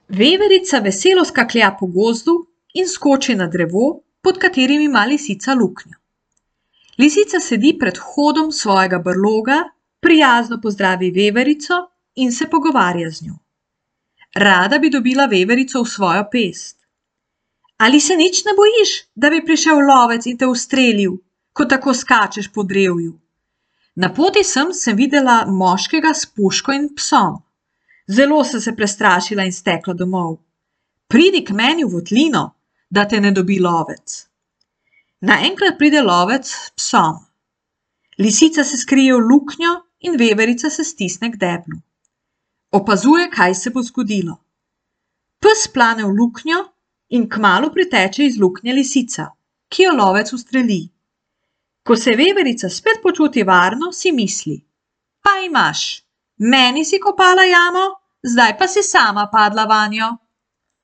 Veverica veselo skaklja po gozdu in skoči na drevo, pod katerim ima lisica luknjo. Lisica sedi pred vhodom svojega brloga, prijazno pozdravi veverico in se pogovarja z njo. Rada bi dobila veverico v svojo pest. Ali se nič ne bojiš, da bi prišel lovec in te ustrelil, ko tako skačeš po drevju? Na poti sem videla moškega s puško in psom. Zelo sem se prestrašila in stekla domov. Pridi k meni v votlino, da te ne dobi lovec. Naenkrat pride lovec s psom. Lisica se skrije v luknjo in veverica se stisne k deblu. Opazuje, kaj se bo zgodilo. Pes plane v luknjo in kmalu priteče iz luknje lisica, ki jo lovec ustreli. Ko se veverica spet počuti varno, si misli: pa imaš, meni si kopala jamo, zdaj pa si sama padla vanjo.